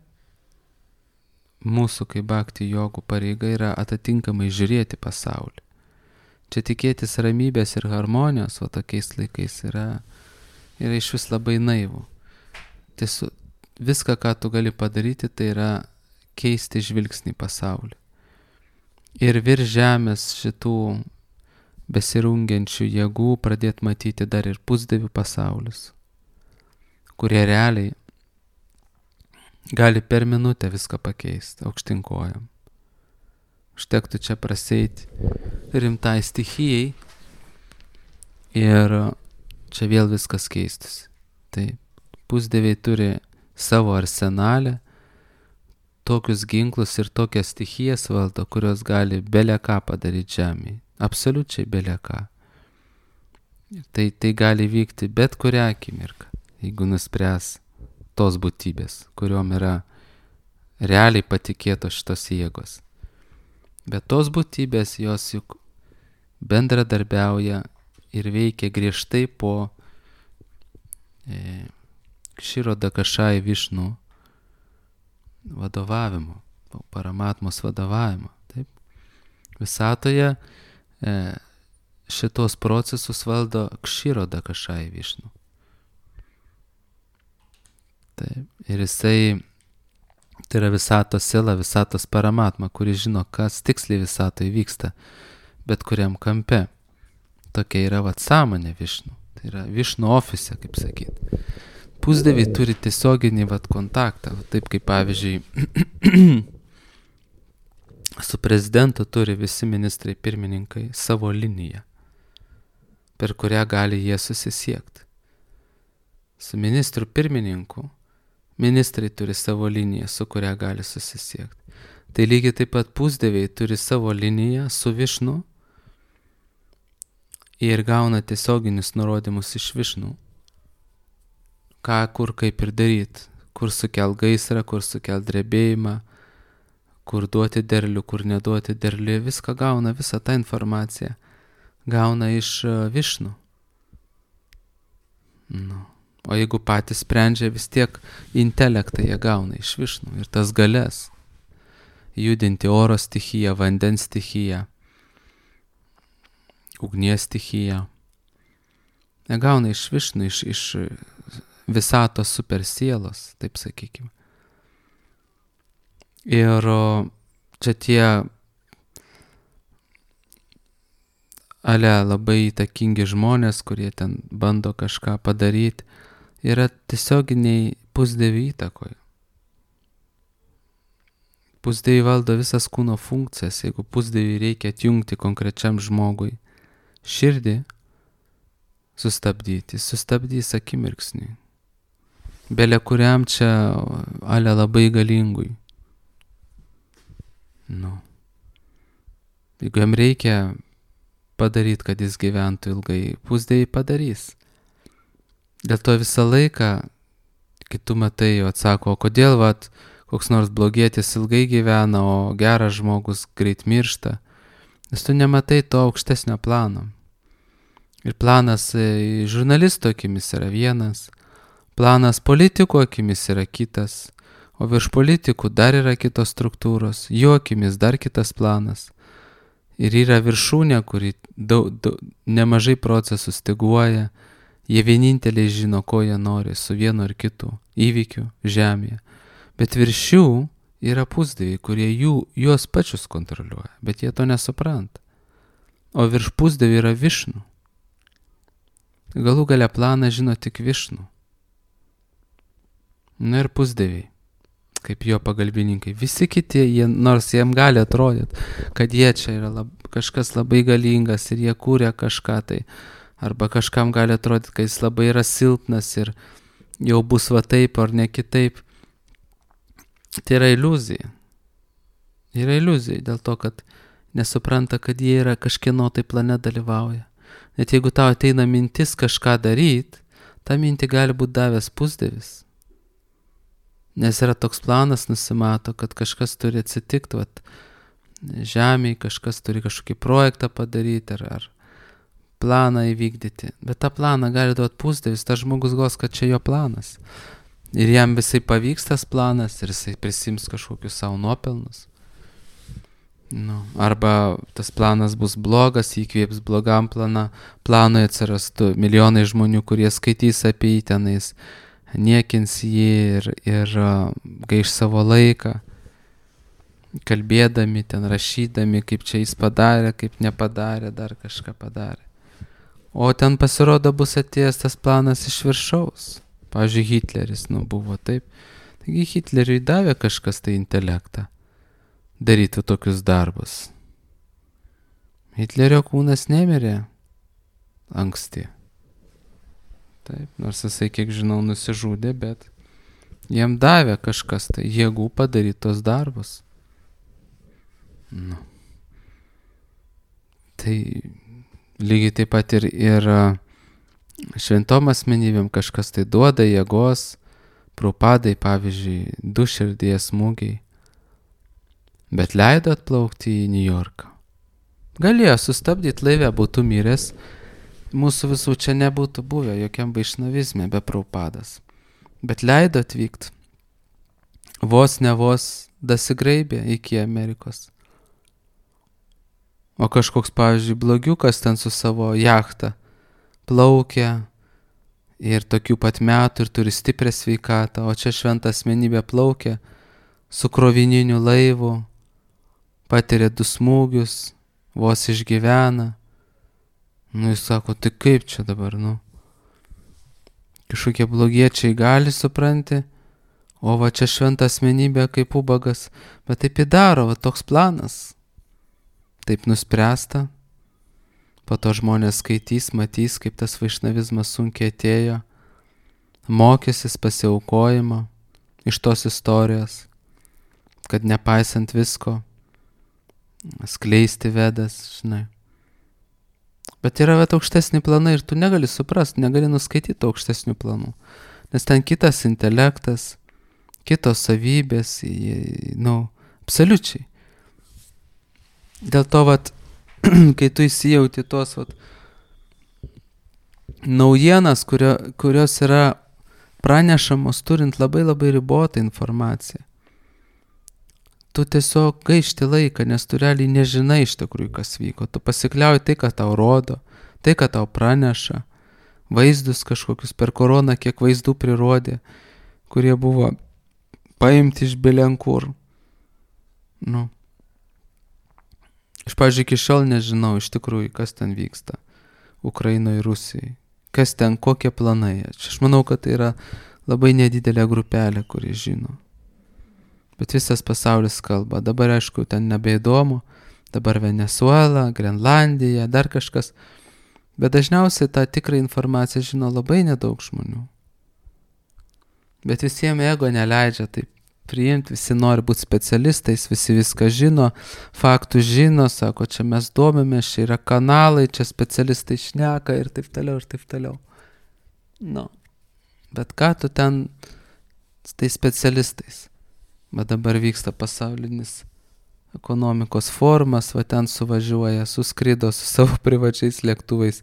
Speaker 1: mūsų kaip bhakti jogų pareiga yra atitinkamai žiūrėti pasaulį. Čia tikėtis ramybės ir harmonijos, o tokiais laikais yra iš vis labai naivu. Tiesiog viską, ką tu gali padaryti, tai yra keisti žvilgsnį pasaulį. Ir virš žemės šitų besirungiančių jėgų pradėti matyti dar ir pusdievių pasaulius, kurie realiai gali per minutę viską pakeisti aukštyn kojom. Užtektų čia praseiti rimtai stichijai ir čia vėl viskas keistus. Tai pusdieviai turi savo arsenalę, tokius ginklus ir tokias stichijas valdo, kurios gali bele ką padaryti žemėje. Absoliučiai bele ką. Tai gali vykti bet kurią akimirką, jeigu nuspręs tos būtybės, kuriuom yra realiai patikėtos šitos jėgos. Bet tos būtybės jos juk bendradarbiauja ir veikia griežtai po Kshiro Dakashai Višnu vadovavimo, Paramatmos vadovavimo. Taip. Visatoje šitos procesus valdo Kshiro Dakashai Višnu. Taip. Ir jisai, tai yra visatos siela, visatos Paramatma, kuris žino, kas tiksliai visatoje vyksta, bet kuriam kampe. Tokia yra sąmonė Višnu. Tai yra Višnu ofise, kaip sakyti. Pusdieviai turi tiesioginį kontaktą, taip kaip pavyzdžiui su prezidentu turi visi ministrai pirmininkai savo liniją, per kurią gali jie susisiekti. Su ministru pirmininku ministrai turi savo liniją, su kuria gali susisiekti. Tai lygiai taip pat pusdieviai turi savo liniją su Višnu ir gauna tiesioginius nurodymus iš Višnu. Ką, kur, kaip ir daryti, kur sukelt gaisrą, kur sukelt drebėjimą, kur duoti derlių, kur neduoti derlių, viską gauna, visą tą informaciją gauna iš Višnu. O jeigu patys sprendžia, vis tiek intelektą jie gauna iš Višnu ir tas galias judinti oro stichiją, vandens stichiją, ugnies stichiją. Jie gauna iš Višnu, iš visatos super sielos, taip sakykime. Ir čia tie labai įtakingi žmonės, kurie ten bando kažką padaryti, yra tiesioginiai pusdievių įtakoje. Pusdieviai valdo visas kūno funkcijas. Jeigu pusdieviai reikia atjungti konkrečiam žmogui širdį, sustabdys akimirksniui. Bele kuriam čia labai galingui. Jeigu jam reikia padaryti, kad jis gyventų ilgai, pusdieviai padarys. Dėl to visą laiką, kai tu matai, atsako, o kodėl koks nors blogietis ilgai gyvena, o geras žmogus greit miršta, nes tu nematai to aukštesnio plano. Ir planas žurnalisto akimis yra vienas, planas politikų akimis yra kitas, o virš politikų dar yra kitos struktūros, jų akimis dar kitas planas. Ir yra viršūnė, kuri nemažai procesų styguoja, jie vieninteliai žino, ko jie nori su vienu ar kitu įvykiu žemėje. Bet virš jų yra pusdieviai, kurie juos pačius kontroliuoja, bet jie to nesupranta. O virš pusdievių yra Višnu. Galų gale planą žino tik Višnu. Ir pusdieviai. kaip jo pagalbininkai. Visi kiti, nors jiem gali atrodyti, kad jie čia yra kažkas labai galingas ir jie kūrė kažką tai, arba kažkam gali atrodyti, kad jis labai yra silpnas ir jau bus va taip ar ne kitaip. Tai yra iliuzija. Yra iliuzija dėl to, kad nesupranta, kad jie yra kažkieno tai plane dalyvauja. Net jeigu tau ateina mintis kažką daryti, tą mintį gali būti davęs pusdievis. Nes yra toks planas, nusimato, kad kažkas turi atsitikti, vat, žemėje, kažkas turi kažkokį projektą padaryti ar planą įvykdyti. Bet tą planą gali duoti pusdievis, tas žmogus gos, kad čia jo planas. Ir jam visai pavyks tas planas ir jisai prisims kažkokius savo nuopelnus. Arba tas planas bus blogas, įkvėps blogam planui atsirastų milijonai žmonių, kurie skaitys apie jį tenais, niekins jį ir gaiš savo laiką, kalbėdami, ten rašydami, kaip čia jis padarė, kaip nepadarė, dar kažką padarė. O ten pasirodo bus atėjęs tas planas iš viršaus. Pavyzdžiui, Hitleris, buvo taip. Taigi Hitleriui davė kažkas tai intelektą daryti tokius darbus. Hitlerio kūnas nemirė anksti. Taip, nors jisai, kiek žinau, nusižudė, bet jam davė kažkas tai jėgų padaryti tos darbus. Tai lygiai taip pat ir šventom asmenybėm kažkas tai duoda jėgos, Prabhupadai, pavyzdžiui, 2 širdies smūgiai, bet leido atplaukti į New Yorką. Galėjo sustabdyti laivę, būtų miręs, mūsų visų čia nebūtų buvę jokiam vaišnavizme be Prabhupadas. Bet leido atvykti. Vos ne vos dasigraibė iki Amerikos. O kažkoks, pavyzdžiui, blogiukas ten su savo jachta plaukia ir tokių pat metų ir turi stiprią sveikatą, o čia šventa asmenybė plaukia su krovininiu laivu, patiria 2 smūgius, vos išgyvena. Jis sako, tai kaip čia dabar, Kažkokie blogiečiai gali, supranti, o va čia šventa asmenybė kaip ubagas, bet taip įdaro, va toks planas. Taip nuspręsta. Po to žmonės skaitys, matys, kaip tas vaišnavizmas sunkiai atėjo, mokysis pasiaukojimo iš tos istorijos, kad nepaisant visko, skleisti vedas, žinai. Bet yra aukštesni planai ir tu negali suprasti, negali nuskaityti aukštesnių planų, nes ten kitas intelektas, kitos savybės, absoliučiai. Dėl to, kai tu įsijauti tos naujienas, kurios yra pranešamos turint labai labai ribotą informaciją, tu tiesiog gaišti laiką, nes tu realiai nežinai iš tikrųjų, kas vyko. Tu pasikliauji tai, ką tau rodo, tai, ką tau praneša, vaizdus kažkokius per koroną, kiek vaizdų prirodė, kurie buvo paimti iš belenkur. Aš, pavyzdžiui, iki šiol nežinau iš tikrųjų, kas ten vyksta Ukrainoje ir Rusijai. Kas ten, kokie planai. Aš manau, kad tai yra labai nedidelė grupelė, kuri žino. Bet visas pasaulis kalba. Dabar, aišku, ten nebeįdomu. Dabar Venezuela, Grenlandija, dar kažkas. Bet dažniausiai tą tikrą informaciją žino labai nedaug žmonių. Bet visiems ego neleidžia taip priimti, visi nori būti specialistais, visi viską žino, faktų žino, sako, čia mes domimės, čia yra kanalai, čia specialistai šneka ir taip toliau, ir taip toliau. Bet ką tu ten su tais specialistais? Bet dabar vyksta pasaulinis ekonomikos forumas, va ten suvažiuoja, suskrido su savo privačiais lėktuvais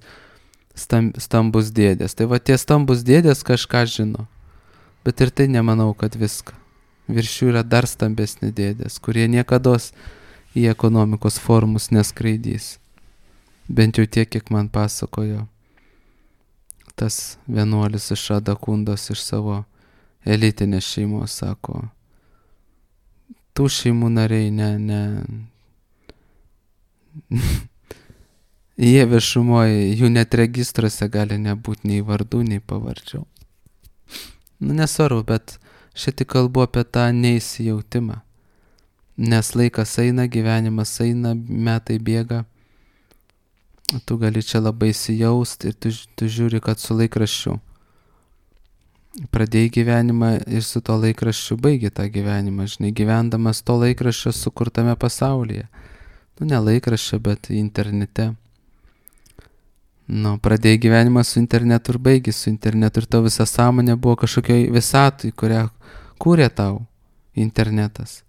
Speaker 1: stambus dėdės. Tai va tie stambus dėdės kažką žino, bet ir tai nemanau, kad viską. Virš jų yra dar stambesni dėdės, kurie niekados į ekonomikos forumus neskraidys. Bent jau tiek, kiek man pasakojo tas vienuolis iš Adakundos, iš savo elitinės šeimos, sako, tų šeimų nariai jie viešumoje, jų net registruose gali nebūti nei vardų, nei pavardžių. Nesvarbu, bet Šitai kalbu apie tą neįsijautimą. Nes laikas eina, gyvenimas eina, metai bėga. Tu gali čia labai įsijausti ir tu žiūri, kad su laikraščiu pradėjai gyvenimą ir su to laikraščiu baigi tą gyvenimą, žinai, gyvendamas to laikraščio sukurtame pasaulyje. Ne laikraščio, bet internete. Pradėjai gyvenimą su internetu ir baigi su internetu ir tavo visa sąmonė buvo kažkokioj visatui, kurią kūrė tau internetas.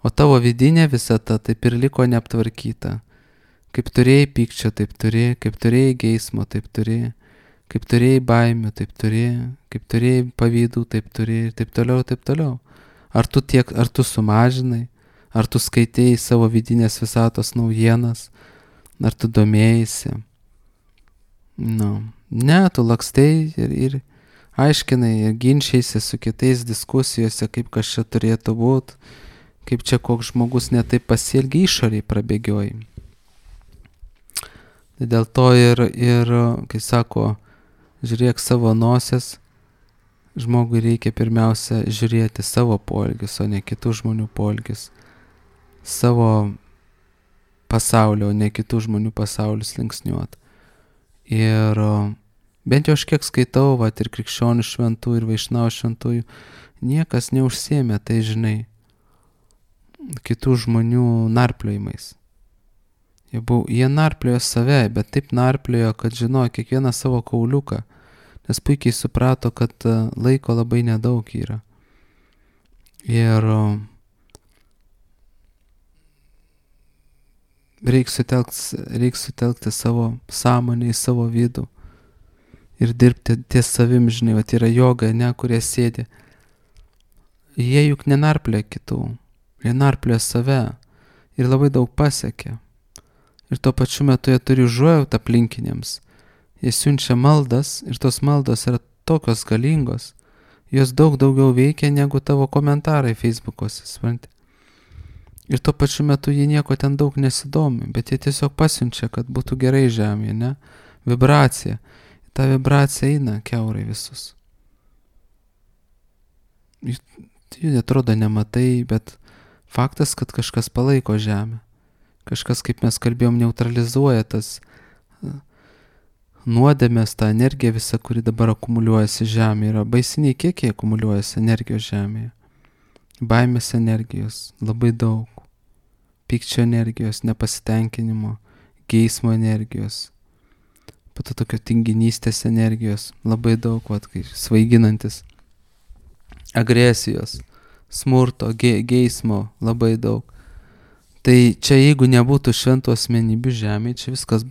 Speaker 1: O tavo vidinė visata taip ir liko neaptvarkyta. Kaip turėjai pykčio, taip turėjai, kaip turėjai geismo, taip turėjai, kaip turėjai baimių, taip turėjai, kaip turėjai pavydų, taip turėjai ir taip toliau, taip toliau. Ar tu sumažinai, ar tu skaitėjai savo vidinės visatos naujienas, ar tu domėjai? Ne, tu lakstei ir aiškinai ir ginčiaisi su kitais diskusijose, kaip kas čia turėtų būti, kaip čia koks žmogus netaip pasielgia, išoriai prabėgioji. Tai dėl to ir kai sako, žiūrėk savo nosies, žmogui reikia pirmiausia žiūrėti savo poelgius, o ne kitų žmonių poelgius. Savo pasaulio, o ne kitų žmonių pasaulius linksniuot. Ir bent jau aš kiek skaitau, ir krikščionių šventųjų, ir vaišnavų šventųjų, niekas neužsiėmė, tai žinai, kitų žmonių narpliojimais. Jie narpliojo save, bet taip narpliojo, kad žinojo kiekvieną savo kauliuką, nes puikiai suprato, kad laiko labai nedaug yra. Ir reik sutelkti savo sąmonę į savo vidų ir dirbti ties savim, žinai, yra joga, kurie sėdi. Jie juk nenarplioja kitų, jie narplioja save ir labai daug pasiekia. Ir tuo pačiu metu jie turi užuojautą aplinkiniams. Jie siunčia maldas ir tos maldos yra tokios galingos. Jos daug daugiau veikia negu tavo komentarai Facebook'ose, supranti. Ir tuo pačiu metu jie nieko ten daug nesidomi, bet jie tiesiog pasiunčia, kad būtų gerai žemėje, ne? Vibracija. Ta vibracija eina kiaurai visus. Jų atrodo nematai, bet faktas, kad kažkas palaiko žemę. Kažkas, kaip mes kalbėjom, neutralizuoja tas nuodėmės, tą energiją visą, kuri dabar akumuliuojasi žemėje. Yra baisiniai kiekiai akumuliuojasi energijos žemėje. Baimės energijos labai daug. Pykčio energijos, nepasitenkinimo, geismo energijos. Po to tokio tinginystės energijos labai daug, kaip svaiginantis. Agresijos, smurto, geismo labai daug. Tai čia jeigu nebūtų šventų asmenybių žemėje, čia viskas,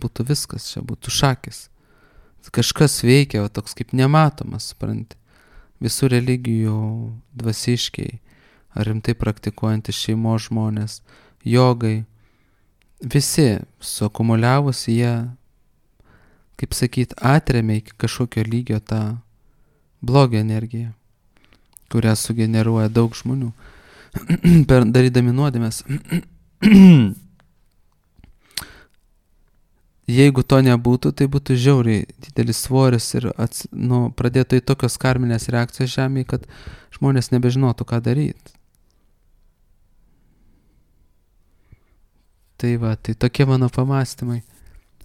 Speaker 1: čia būtų šakis. Kažkas veikia, toks kaip nematomas, supranti. Visų religijų dvasiškiai, ar rimtai praktikuojantys šeimos žmonės, jogai, visi suakumuliavus jie, kaip sakyt, atremia iki kažkokio lygio tą blogio energiją, kurią sugeneruoja daug žmonių, darydami nuodėmes. Jeigu to nebūtų, tai būtų žiauriai didelis svoris ir pradėtų į tokios karminės reakcijos žemėje, kad žmonės nebežinotų, ką daryti. Tai tokie mano pamąstymai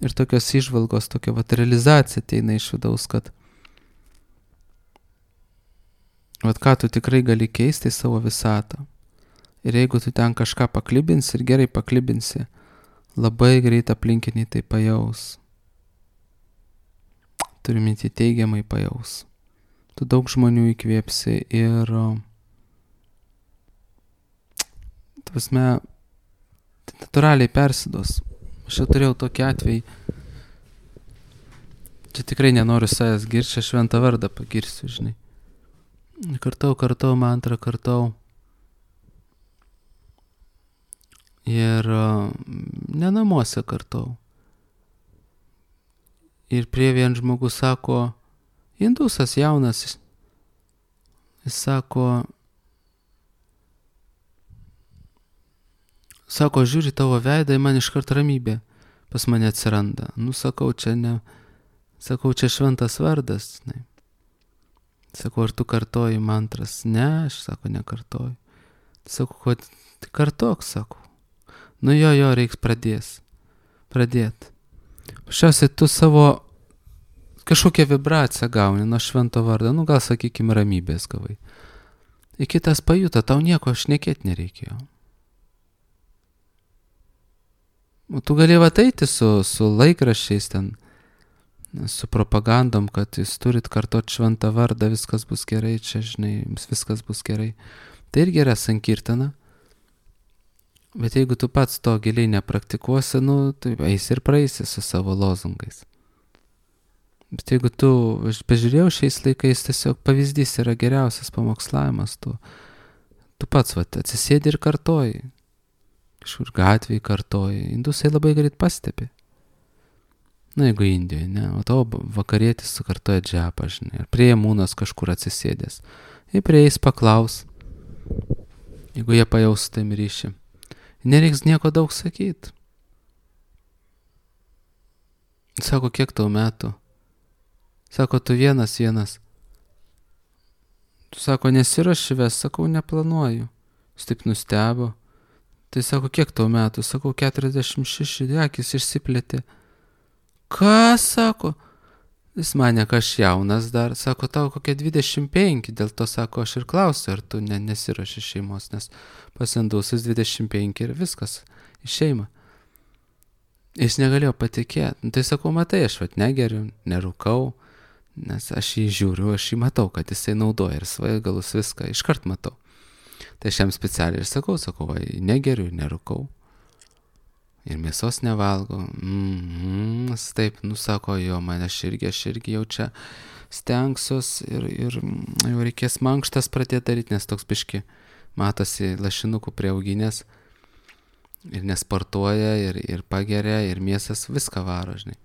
Speaker 1: ir tokios įžvalgos, tokia realizacija ateina iš vidaus, kad ką tu tikrai gali keisti į savo visatą. Ir jeigu tu ten kažką paklibinsi ir gerai paklibinsi, labai greit aplinkiniai tai pajaus. Turiu minti teigiamai pajaus. Tu daug žmonių įkvėpsi ir natūraliai persiduos. Aš jau turėjau tokį atvejį. Čia tikrai nenoriu savęs girti, aš šventą vardą pagirsiu, žinai. Kartau, mantrą kartau. Ir ne namuose kartau. Ir prie vien žmogus sako, indusas jaunas, jis sako, žiūri tavo veidą, man iškart ramybė pas mane atsiranda. Sakau, čia šventas vardas. Ne. Sakau, ar tu kartoji mantras? Ne, aš sako, nekartoju. Sakau, kad tai kartok, sakau. Nu jo, reiks pradėt. Pašiausiai tu savo kažkokią vibraciją gauni nuo švento vardo, nu gal sakykime ramybės gavai. Ir kitas pajuto, tau nieko šnekėt nereikėjo. O tu galėjai ateiti su laikraščiais ten, su propagandom, kad jūs turit kartot šventą vardą, viskas bus gerai, čia žinai, viskas bus gerai. Tai irgi yra sankirtana. Bet jeigu tu pats to giliai nepraktikuosi, nu, tai eisi ir praeisi su savo lozungais. Bet jeigu tu, aš bežiūrėjau šiais laikais, tiesiog pavyzdys yra geriausias pamokslavimas, tu pats atsisėdi ir kartoji. Kažkur gatvėje kartoji. Indusai labai greit pastebi. Na, jeigu Indijoje, ne, o tavo vakarietis sukartoja džepą, žinai, ar prie mūnas kažkur atsisėdęs. Ir prie jais paklaus, jeigu jie pajaus tam ryšį. Nereiks nieko daug sakyti. Sako, kiek tau metų? Sako, tu vienas. Tu sako, nesiruoši ves, sakau, neplanuoju. Jis taip nustebo. Tai sako, kiek tau metų? Sakau, 46, akis išsiplėtė. Ką, sako? Jis mane, kad aš jaunas dar. Sako, tau kokie 25, dėl to, sako, aš ir klausiu, ar tu nesiruoši šeimos, nes pasendausis 25 ir viskas, į šeimą. Jis negalėjo patikėti. Tai sakau, matai, aš negeriu, nerūkau, nes aš jį žiūriu, aš jį matau, kad jisai naudoja ir svaigalus viską, iškart matau. Tai aš jam specialiai ir sakau, negeriu, nerūkau. Ir mėsos nevalgo. Taip, sako, jo, man aš irgi jau čia stengsiuos ir jau reikės mankštas pradėti daryti, nes toks biški matosi lašinukų prieauginės ir nesportuoja ir pageria ir mėsas viską varo, žinai.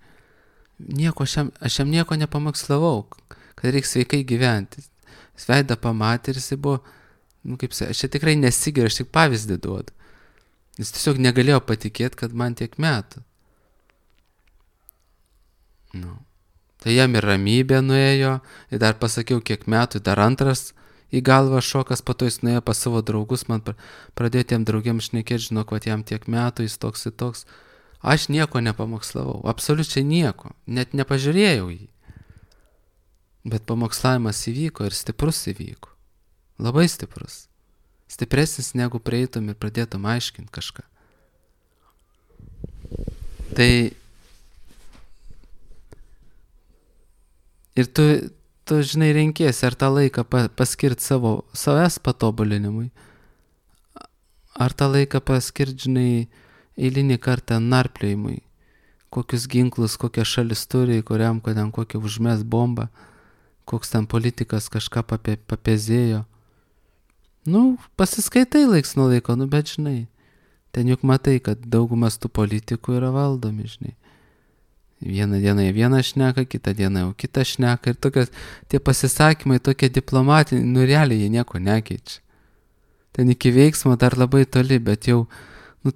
Speaker 1: Aš jam nieko nepamakslavau, kad reikia sveikai gyventi. Jis veidą pamatė ir jis buvo, kaip sakė, aš čia tikrai nesigeriu, aš tik pavyzdį duodu. Jis tiesiog negalėjo patikėti, kad man tiek metų. Tai jam ir ramybė nuėjo, ir dar pasakiau, kiek metų, dar antras į galvą šokas, po to jis nuėjo pas savo draugus, man pradėjo tiem draugiams šnekėti, žinok, kad jam tiek metų, jis toks ir toks. Aš nieko nepamokslavau, absoliučiai nieko, net nepažiūrėjau jį. Bet pamokslavimas įvyko ir stiprus įvyko. Labai stiprus. Stipresnis negu prieitum ir pradėtum aiškinti kažką. Tai ir tu žinai, renkiesi, ar tą laiką paskirti savęs patobulinimui, ar tą laiką paskirti, žinai, eilinį kartą narpliojimui, kokius ginklus, kokią šalis turi, kuriam kokią užmes bombą, koks ten politikas kažką papezėjo. Pasiskaitai laiks nuo laiko, bet žinai, ten juk matai, kad daugumas tų politikų yra valdomi, žinai. Vieną dieną jie vieną šneka, kitą dieną jau kitą šneka ir tie pasisakymai tokie diplomatiniai, realiai jie nieko nekeičia. Ten iki veiksmo dar labai toli, bet jau,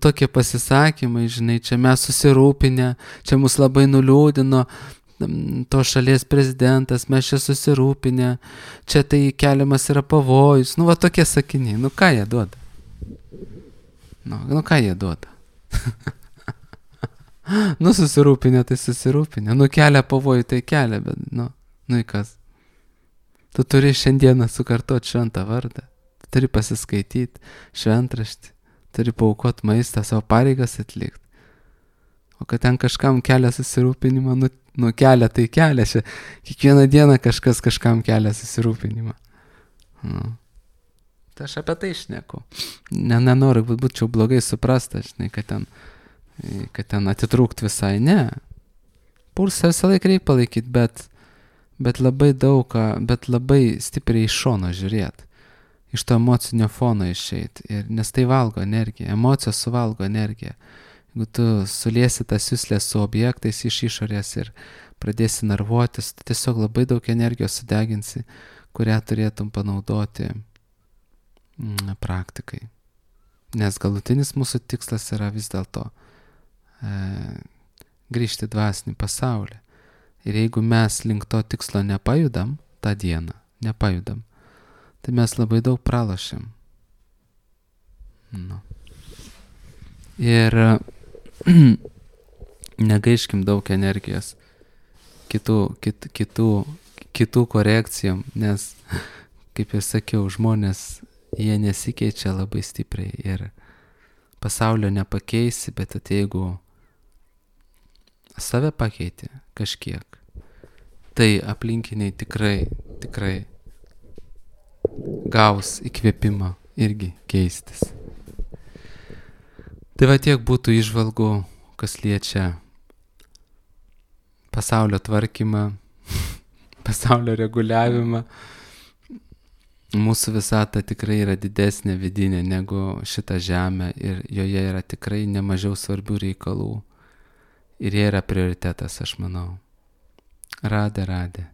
Speaker 1: tokie pasisakymai, žinai, čia mes susirūpinę, čia mus labai nuliūdino, to šalies prezidentas, mes čia susirūpinę, čia tai keliamas yra pavojus, tokie sakiniai, ką jie duoda? Ką jie duoda? Susirūpinę, tai susirūpinę, kelia pavojų, tai kelia, bet, į kas? Tu turi šiandieną sukartoti šventą vardą, tu turi pasiskaityti šventraštį, turi paaukoti maistą, savo pareigas atlikti. O kad ten kažkam kelia susirūpinimą, kelia, tai kelia. Kiekvieną dieną kažkas kažkam kelia susirūpinimą. Tai aš apie tai šneku. Nenoriu, kad būčiau blogai suprastas, žinai, kad ten atitrūkt visai. Ne. Pulsą visą laiką reikia palaikyti, bet labai daug, bet labai stipriai iš šono žiūrėti. Iš to emocinio fono išeiti. Nes tai valgo energiją. Emocijos suvalgo energiją. Jeigu tu suliesi tas juslės su objektais iš išorės ir pradėsi nervuotis, tai tiesiog labai daug energijos sudeginsi, kurią turėtum panaudoti praktikai. Nes galutinis mūsų tikslas yra vis dėlto grįžti dvasinį pasaulį. Ir jeigu mes link to tikslo nepajudam tą dieną, nepajudam, tai mes labai daug pralošiam. Nu. Ir negaiškim daug energijos kitų korekcijom, nes, kaip ir sakiau, žmonės, jie nesikeičia labai stipriai ir pasaulio nepakeisi, bet jeigu save pakeiti kažkiek, tai aplinkiniai tikrai gaus įkvėpimą irgi keistis. Tai va tiek būtų įžvalgų, kas liečia pasaulio tvarkymą, pasaulio reguliavimą. Mūsų visata tikrai yra didesnė vidinė negu šita žemė ir joje yra tikrai nemažiau svarbių reikalų. Ir jie yra prioritetas, aš manau. Radė.